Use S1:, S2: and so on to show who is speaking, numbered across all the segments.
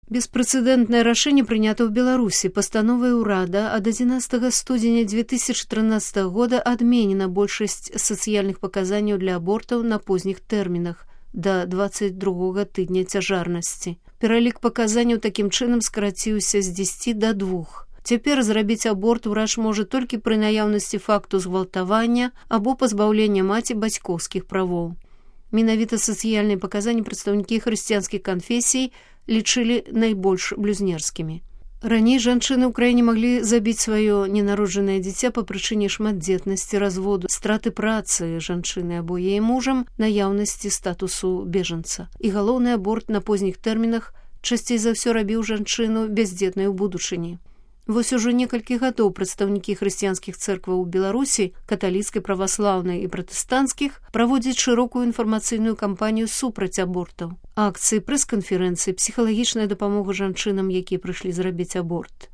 S1: Беспрэцэдэнтнае рашэнне прынята ў Беларусі. Пастановай урада ад 11 студзеня 2013 года адменена большасць сацыяльных паказанняў для абортаў на позніх тэрмінах да 22 тыдня цяжарнасці. Пералік паказанняў такім чынам скараціўся з 10 да 2. Цяпер зрабіць аборт урач можа толькі пры наяўнасці факту згвалтавання або пазбаўлення маці бацькоўскіх правоў. Менавіта сацыяльныя паказанні прадстаўнікі хрысціянскіх канфесій лічылі найбольш блюзнерскімі. Раней жанчыны ў краіне маглі забіць сваё ненароджанае дзіця па прычыне шматдзетнасці, разводу, страты працы жанчыны або яе мужам, наяўнасці статусу бежанца. І галоўны аборт на позніх тэрмінах часцей за ўсё рабіў жанчыну бяздзетнай у будучыні. Вось ужо некалькі гадоў прадстаўнікі хрысціянскіх цэркваў у Беларусі, каталіцкай, праваслаўнай і пратэстанцкіх, праводзяць шырокую інфармацыйную кампанію супраць абортаў. Акцыі, прэс-канферэнцыі, псіхалагічная дапамога жанчынам, якія прыйшлі зрабіць аборт.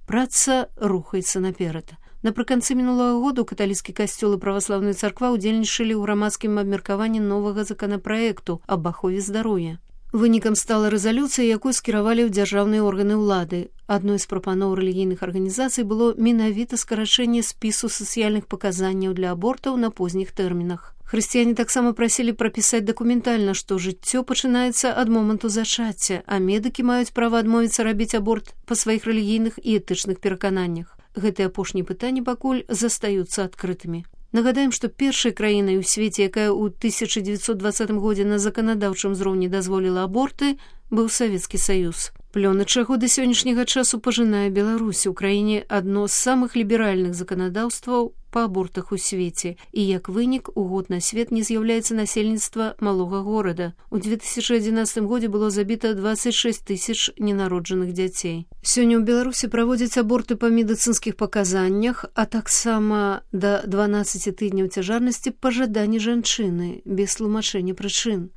S1: Праца рухаецца наперад. Напрыканцы мінулага году каталіцкі касцёл і праваслаўная царква ўдзельнічалі ў грамадскім абмеркаванні новага законапраекту аб ахове здароўя. Вынікам стала рэзалюцыя, якую скіравалі ў дзяржаўныя органы ўлады. Адной з прапаноў рэлігійных арганізацый было менавіта скарачэнне спісу сацыяльных паказанняў для абортаў на позніх тэрмінах. Хрысціяне таксама прасілі прапісаць дакументальна, што жыццё пачынаецца ад моманту зачацця, а медыкі маюць права адмовіцца рабіць аборт па сваіх рэлігійных і этычных перакананнях. Гэтыя апошнія пытанні пакуль застаюцца адкрытымі. Нагадаем, што першай краінай у свеце, якая ў 1920 годзе на заканадаўчым узроўні дазволіла аборты, быў Савецкі Саюз. Плёны чаго да сённяшняга часу пажынае Беларусь. У краіне адно з самых ліберальных заканадаўстваў па абортах у свеце. І як вынік, у год на свет не з'яўляецца насельніцтва малога горада. У 2011 годзе было забіта 26 тысяч ненароджаных дзяцей. Сёння ў Беларусі праводзяць аборты па медыцынскіх паказаннях, а таксама да 12 тыдняў цяжарнасці па жаданні жанчыны, без тлумачэння прычын.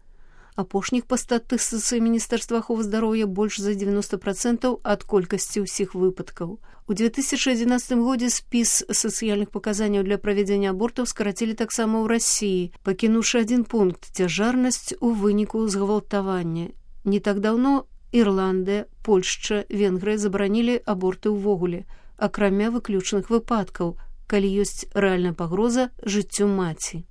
S1: Апошніх па статыстыцы Міністэрства аховы здароўя больш за 90% ад колькасці ўсіх выпадкаў. У 2011 годзе спіс сацыяльных паказанняў для правядзення абортаў скарацілі таксама ў Расіі, пакінуўшы адзін пункт – цяжарнасць у выніку згвалтавання. Не так даўно Ірландыя, Польшча, Венгрыя забаранілі аборты ўвогуле, акрамя выключных выпадкаў, калі ёсць рэальная пагроза жыццю маці.